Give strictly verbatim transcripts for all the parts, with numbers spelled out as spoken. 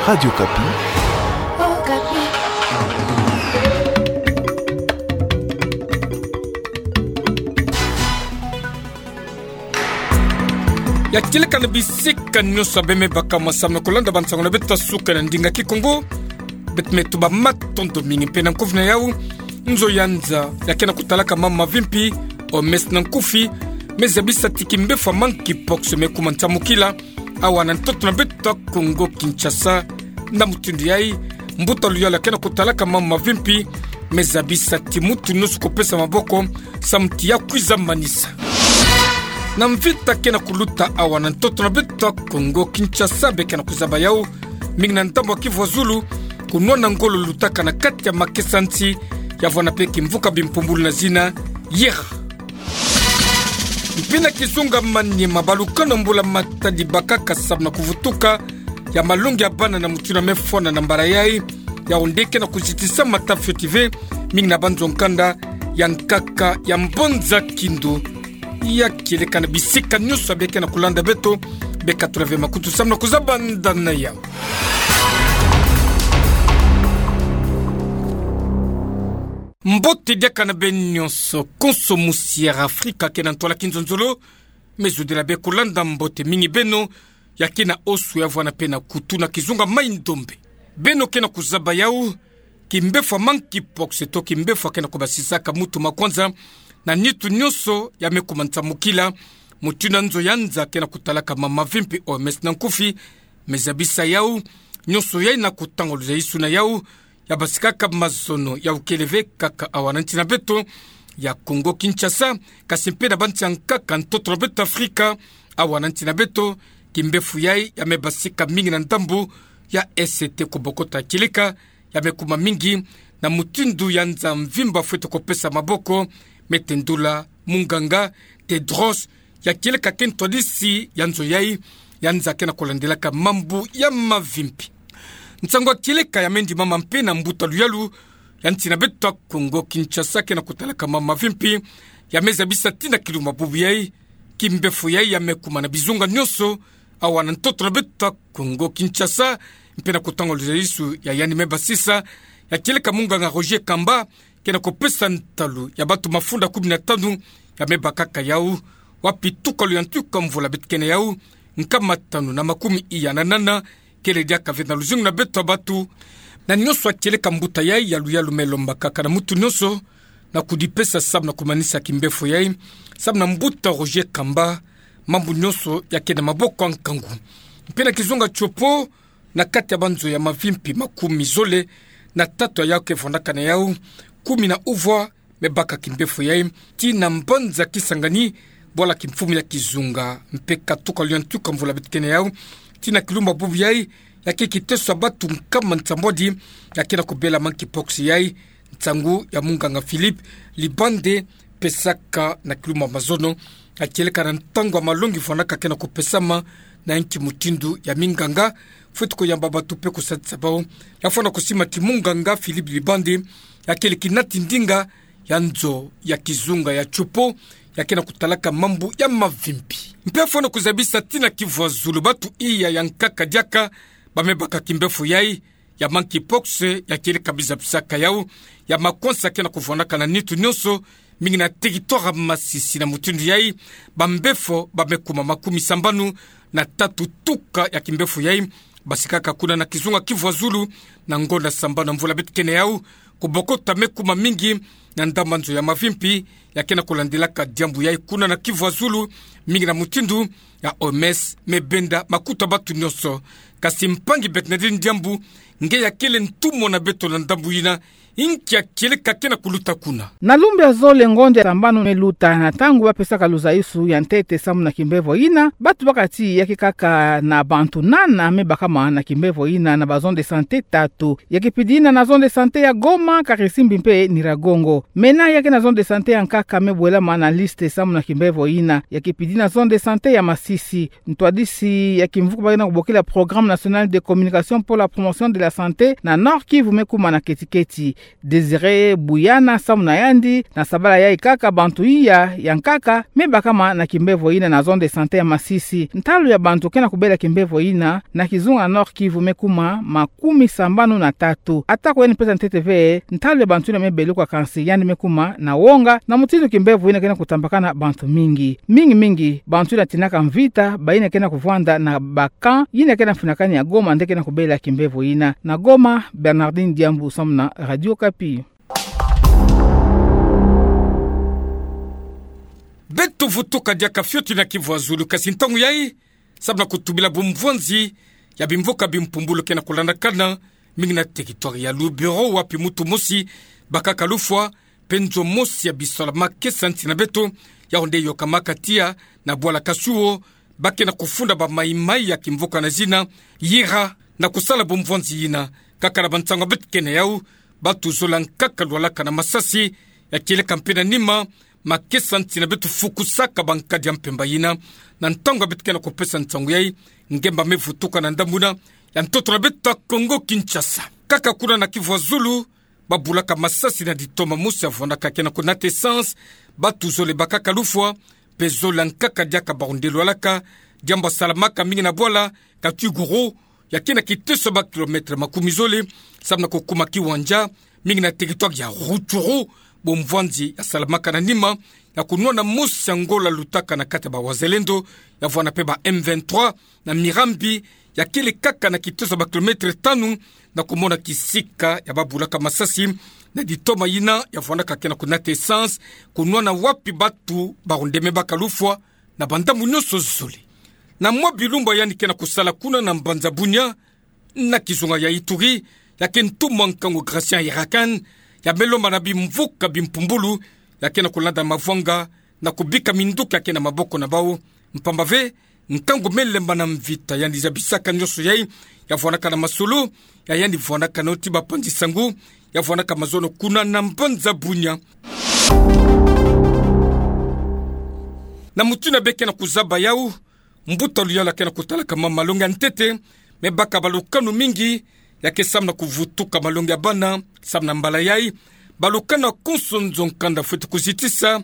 Radio Okapi. Ya kieleka na bisika nyonso abe me baka mwa samu na kulanda bansango na beto ya suka na ndinga Kikongo. Beto me tuba matondo mingi mpe na nkufi na yau nzo ya nza ya ke na kutalaka mambu mavimpi, O M S na nkufi, me zabisa ti kimbefo ya monkeypox me kuma nsamukila awa na ntoto na beto ya Kongo Kinshasa. Na mutindu yai, mbuta luyalu ya ke na kutalaka mambu mavimpi me zabisa ti mutu nyonso kupesa maboko samu ti ya kwiza manisa. Na mvita ke na kuluta awa na ntoto na beto ya Kongo Kinshasa, be ke na kuzaba yau mingi na ndambu ya Kivu ya Zulu, kunwana ngolo lutaka na kati ya makesa nsi, ya vwanda mpe kimvuka bimpumbulu na zina Yera. Mpe na kizunga Maniema, balukano mbula-matadi bakaka samu na kuvutuka ya malongi ya bana na mutindu ya me fwana na mbala yai, yau nde ke na kuzitisa mata fioti ve mingi na banzo-nkanda ya nkaka ya Mbonza Kindu. Ya kieleka na bisika nyonso abe ke na kulanda beto, be katula ve makutu samu na kuzaba nda na yau. Mbote diaka na beno nyonso, konso musi ya Afrika ke na ntwala kinzonzolo, me zodila be kulanda mbote mingi beno ya ke na osu ya vwanda mpe na kutu na kizunga Mai-Ndombe. Beno ke na kuzaba yau, kimbefo ya monkeypox to kimbefo ya ke na kubasisaka mutu makwanza na nitu nyonso ya me kuma nsamukila, mutindu nzo ya nza ke na kutalaka mambu mavimpi, O M S na nkufi, me zabisa yau, nyonso yai na kutanga luzaisu na yau, ya basikaka mazono, yau kele ve kaka awa na nsi na beto ya Kongo Kinshasa, kasi mpe na bansi ya nkaka ntoto na beto Afrika. Awa na nsi na beto, kimbefo yai ya me basika mingi na ndambu ya Est, kubokota kieleka ya me kuma mingi na mutindu ya nza mvimba fwete kupesa maboko, me tendula munganga Tedros, ya kieleka ke ntwadisi ya nzo yai ya nza ke na kulandilaka mambu ya mavimpi. Nsangu ya kieleka ya me ndimama mpe na mbuta luyalu ya nsi na beto ya Kongo Kinshasa ke na kutalaka mambu mavimpi, ya me zabisa ti na kilumbu bubu yai, kimbefo yai ya me kuma na bizunga nyonso awa na ntoto na beto ya Kongo Kinshasa, mpe na kutanga luzaisu ya yandi me basisa, ya kieleka munganga Roger Kamba, ke na kupesa ntalu ya bantu mafunda kumi na tanu ya me bakaka yau, wapi tukalu ya ntuka mvula beto ke na yau, nkama tanu na makumi iya na nana, kele diaka ve na luzingu na beto ya bantu. Na nyonso ya kieleka mbuta yai ya luyalu me lombakaka na mutu nyonso na kudipesa samu na kumanisa kimbefo yai, samu na mbuta Roger Kamba, mambu nyonso ya ke na maboko ya nkangu. Mpe na kizunga Tshopo, na kati ya banzo ya mavimpi makumi zole na tatu ya yau ke vwandaka na yau, kumi na uvwa me baka kimbefo yai, ti na mbanza Kisangani, bwala kimfumu ya kizunga, mpe katuka lio ntuka mvula beto ke na yau, ti na kilumbu bubu yai, ya ke kiteso ya bantu nkama nsambwadi ya ke na kubela monkeypox yai, nsangu ya munganga Philippe Libande, pesaka na kilumbu mazono, ya kieleka na ntangu ya malongi vwandaka ke na kupesama na inki mutindu ya minganga fwete kuyamba bantu mpe kusadisa bau. Ya fwana kusima ti munganga Philippe Libande ya kele kinati ndinga ya nzo ya kizunga ya Tshopo ya ke na kutalaka mambu ya mavimpi. Mpe ya fwana kuzabisa ti na Kivu ya Zulu bantu iya ya nkaka diaka ba me baka kimbefo yai ya monkeypox, ya kieleka biza bisaka yau, ya makwansa ke na kuvwandaka na nitu nyonso, mingi na territoire Masisi. Na mutindu yai, bambefo ba me kuma makumi sambanu na tatu tuka ya kimbefo yai basikaka kuna na kizunga Kivu ya Zulu, na ngonda sambanu ya mvula beto ke na yau, kubokota me kuma mingi na ndambu ya nzo ya mavimpi ya ke na kulandilaka diambu yai kuna na Kivu ya Zulu, mingi na mutindu ya O M S me benda makutu ya bantu nyonso. Kasi mpangi Bernardine Diambu, nge ya kele ntumwa na beto na ndambu yina, inki ya kieleka ke na kuluta kuna? Na lumbu ya zole ngonda sambanu me luta, na ntangu ba pesaka luzaisu ya ntete samu na kimbefo yina, bantu bakati ya ke kaka na bantu nana me bakama na kimbefo yina na ba zone de santé tatu. Ya ke pidi yina na zone de santé ya Goma, Karisimbi mpe Nyiragongo. Mena ya ke na zone de santé ya nkaka me bwelama na liste samu na kimbevo yina. Ya kipidi na zone de santé ya Masisi. Ntwadisi ya kimvuka ba ke na kubokila Programme National de Communication pour la Promotion de la Santé na Nord-Kivu me kuma na keti-keti. Désiré Buyana samu na yandi, na sabala yayi kaka bantu iya ya nkaka me bakama na kimbevo yina na zone de santé ya Masisi. Ntalu ya bantu ke na kubela kimbevo yina na kizunga Nord-Kivu me kuma makumi sambanu na tatu. Atako yandi pesa ntete ve ntalu ya bantu yina me beluka, kansi yandi me kuma na wonga na mutindu kimbevo yina ke na kutambakana bantu mingi. Mingi mingi bantu yina tinaka mvita, bayina ke na kuvwanda na ba camp yina ke na mfinakani ya Goma nde ke na kubela kimbevo yina. Na Goma, Bernardine Diambu samu na Radio Okapi. Beto vutuka diaka fioti na Kivu ya Zulu, kasi ntangu yayi, samu na kutubila bumvwanzi ya bimvuka bimpumbulu ke na kulandakana mingi na territoire ya Lubero, wapi mutu mosi bakaka lufwa, mpe nzo mosi ya bisalu ya makesa nsi na beto, yawu nde yokamaka tiya na bwala Kasuo, ba ke na kufunda bamaimai ya kimvuka na zina Yira, na kusala bumvwanzi yina. Kaka na bansangu ya beto ke na yawu, batu zole ya nkaka lwalaka na masasi, ya kieleka mpe na nima, makesa nsi na beto fukusaka bankadi ya mpemba yina. Na ntangu ya beto ke na kupesa nsangu yayi, ngemba me vutuka na ndambu yina ya ntoto na beto ya Kongo Kinshasa. Kaka kuna na Kivu ya Zulu, babulaka masasi na ditoma mosi ya vwandaka ke na kunata essence, batu zole bakaka lufwa, mpe zole ya nkaka diaka bawu nde lwalaka, diambu ya salamaka mingi na bwala Katwiguru, ya ke na kiteso ya ba kilomètre makumi zole samu na kukuma kiwanja, mingi na territoire ya Rutshuru, bumvwanzi ya salamaka na nima ya kunwana mosi ya Ngola lutaka na kati ya ba Wazalendo, ya vwanda mpe ba M vingt-trois, na Mirambi, ya kele kaka na kiteso ya ba kilomètre tanu na kumona kisika ya babulaka masasi, na ditoma yina ya vwandaka ke na kunata essence, kunwana wapi batu bawu nde me baka lufwa na bandambu nyonso zole. Na mwa bilumbu yandi ke na kusala kuna na mbanza Bunia, na kizunga ya Ituri, ya ke ntumwa nkangu Gratien Hirakan, ya me lomba na bimvuka bimpumbulu, ya ke na kulanda mavwanga, na kubika minduki ya ke na maboko na bawu. Mpamba ve, nkangu me lemba na mvita, yandi zabisaka nyonso yayi, ya vwandaka na masolo, ya yandi vwandaka na yo ti bapanzi sangu, ya vwandaka mazono kuna na mbanza Bunia. Na mutu yina be ke na kuzaba yawu, mbuta luyalu ya ke na kutalaka mambu malongi ya ntete, me baka balukanu mingi, ya ke samu na kuvutuka malongi ya bana, samu na mbala yayi, balukanu ya konso nzo-nkanda fwete kuzitisa,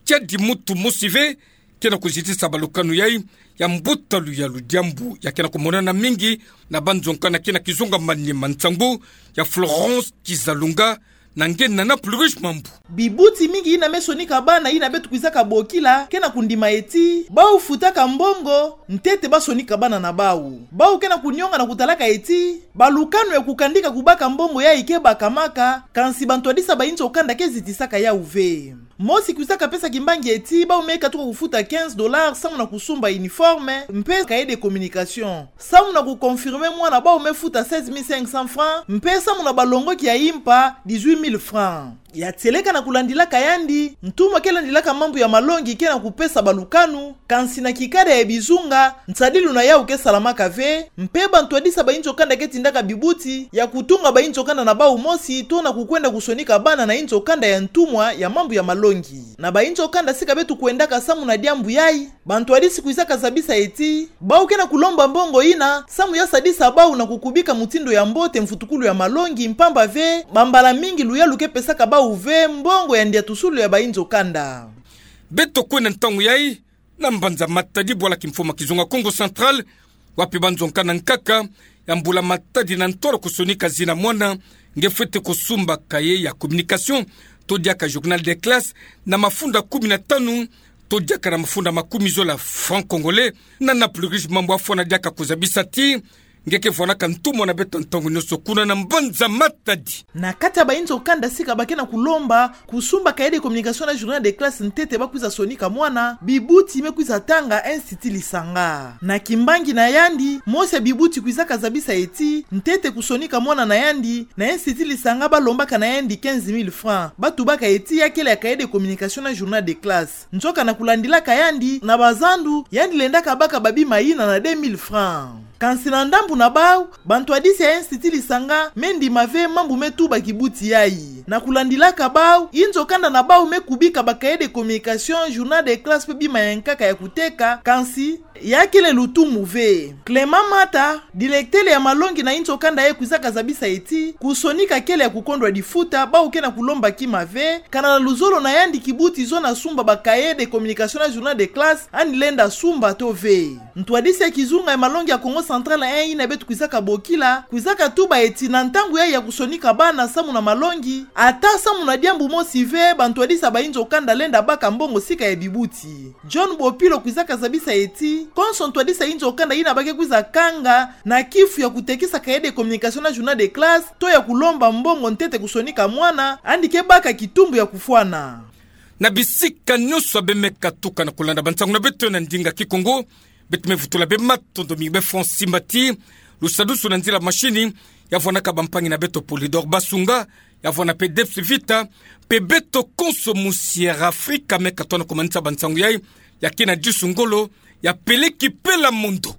tiadi mutu mosi ve ke na kuzitisa balukanu yayi, ya mbuta luyalu, diambu ya ke na kumonana mingi na banzo-nkanda ke na kizunga Maniema. Nsangu ya Florence Kizalunga, na nge Nana Plurish Mambu. Bibuti mingi yina me sonika bana yina beto kwizaka bokila, ke na kundima eti bawu futaka mbongo ntete ba sonika bana na bawu. Bawu ke na kunionga na kutalaka eti balukanu ya kukandika kubaka mbongo yayi ke bakamaka, kansi bantwadisa bayinzo kanda ke zitisaka yawu ve. Mosi kwizaka pesa kimbangi eti bawu me katuka kufuta quinze dollars samu na kusumba uniforme mpe cahier de communication. Samu na kuconfirmer mwana, bawu me futa seize mille cinq cents francs, mpe samu na balongoki ya impa, dix-huit mille francs. Ya tieleka na kulandilaka yandi, ntumwa ke landilaka mambu ya malongi ke na kupesa balukanu, kansi na kikada ya bizunga, nsadilu na yawu ke salamaka ve, mpe bantwadisa bayinzo kanda ke tindaka bibuti ya kutunga bayinzo kanda na bawu mosi, to na kukwenda kusonika bana na yinzo kanda ya ntumwa ya mambu ya malongi. Na bayinzo kanda sika beto kwendaka samu na diambu yayi, bantwadisi kwizaka zabisa eti bawu ke na kulomba mbongo yina samu ya sadisa bawu na kukubika mutindu ya mbote mvutukulu ya malongi, mpamba ve bambala mingi luyalu ke pesaka bawu ve mbongo ya ndiatusulu ya bayinzo kanda. Beto kwenda ntangu yayi na mbanza Matadi, bwala kimfumu ya kizunga Kongo Central, wapi banzo-nkanda nkaka ya mbula Matadi na ntwala kusonika zina mwana, nge fwete kusumba cahier ya communication to diaka journal de classe na mafunda kumi na tanu to diaka na mafunda makumi zole ya francs congolais. Nana Plurish Mambu afwana diaka kuzabisa ti nge ke vwanaka ntumwa na beto ntangu nyonso kuna na mbanza Matadi. Na kati ya bayinzo kanda sika ba ke na kulomba kusumba cahier de communication na journal de classe ntete ba kwiza sonika mwana, bibuti me kwiza tanga Institut Lisanga. Na kimbangi na yandi, mosi ya bibuti kwizaka zabisa eti ntete kusonika mwana na yandi na Institut Lisanga ba lombaka na yandi quinze mille francs, ba tubaka eti ya kele ya cahier de communication na journal de classe. Nzoka na kulandilaka yandi, na bazandu yandi lendaka baka babima yina na deux mille francs. Kansi na ndambu na bau, bantwadisi ya Institut Lisanga me ndima ve mambu me tuba kibuti yayi. Na kulandilaka bau, inzo kanda na bau me kubika ba cahier de communication, journal de classe pe bima ya nkaka ya kuteka, kansi ya kele lutumu ve. Clément Mata, directeur ya malongi na inzo kanda yayi, kwizaka zabisa ti kusonika kele ya kukondwa difuta, bau ke na kulomba kima ve, kana na luzolo na yandi kibuti zo na sumba ba cahier de communication na journal de classe, yandi lenda sumba to ve. Ntwadisi ya kizunga ya malongi ya Kongo Central, eh, ina beto kwizaka bokila, kwizaka tuba ti na ntangu yayi ya kusonika bana samu na malongi, ata samu na diambu mosi ve, bantwadisi ya ba inzo kanda lenda baka mbongo sika ya bibuti. John Bopilo kwizaka zabisa ti konso ntwadisi ya inzo kanda ina ba ke kwiza kanga na kifu ya kutekisa cahier de communication na journal de classe, to ya kulomba mbongo ntete kusonika mwana, yandi ke baka kitumbu ya kufwana. Na bisika nyonso abe me katuka na kulanda bansangu na beto na ndinga Kikongo, beto me vutula bê matondo mingi bê Francis Mbati, lusadusu na nzila machine, ya vwanaka bampangi na beto Polydor Basunga, ya vwana pe Debs Vita, pe beto konso musi Air Afrika me katoa na kumanisa bansangu yayi, ya kina Djusu Ngolo, ya peleki pela mondo.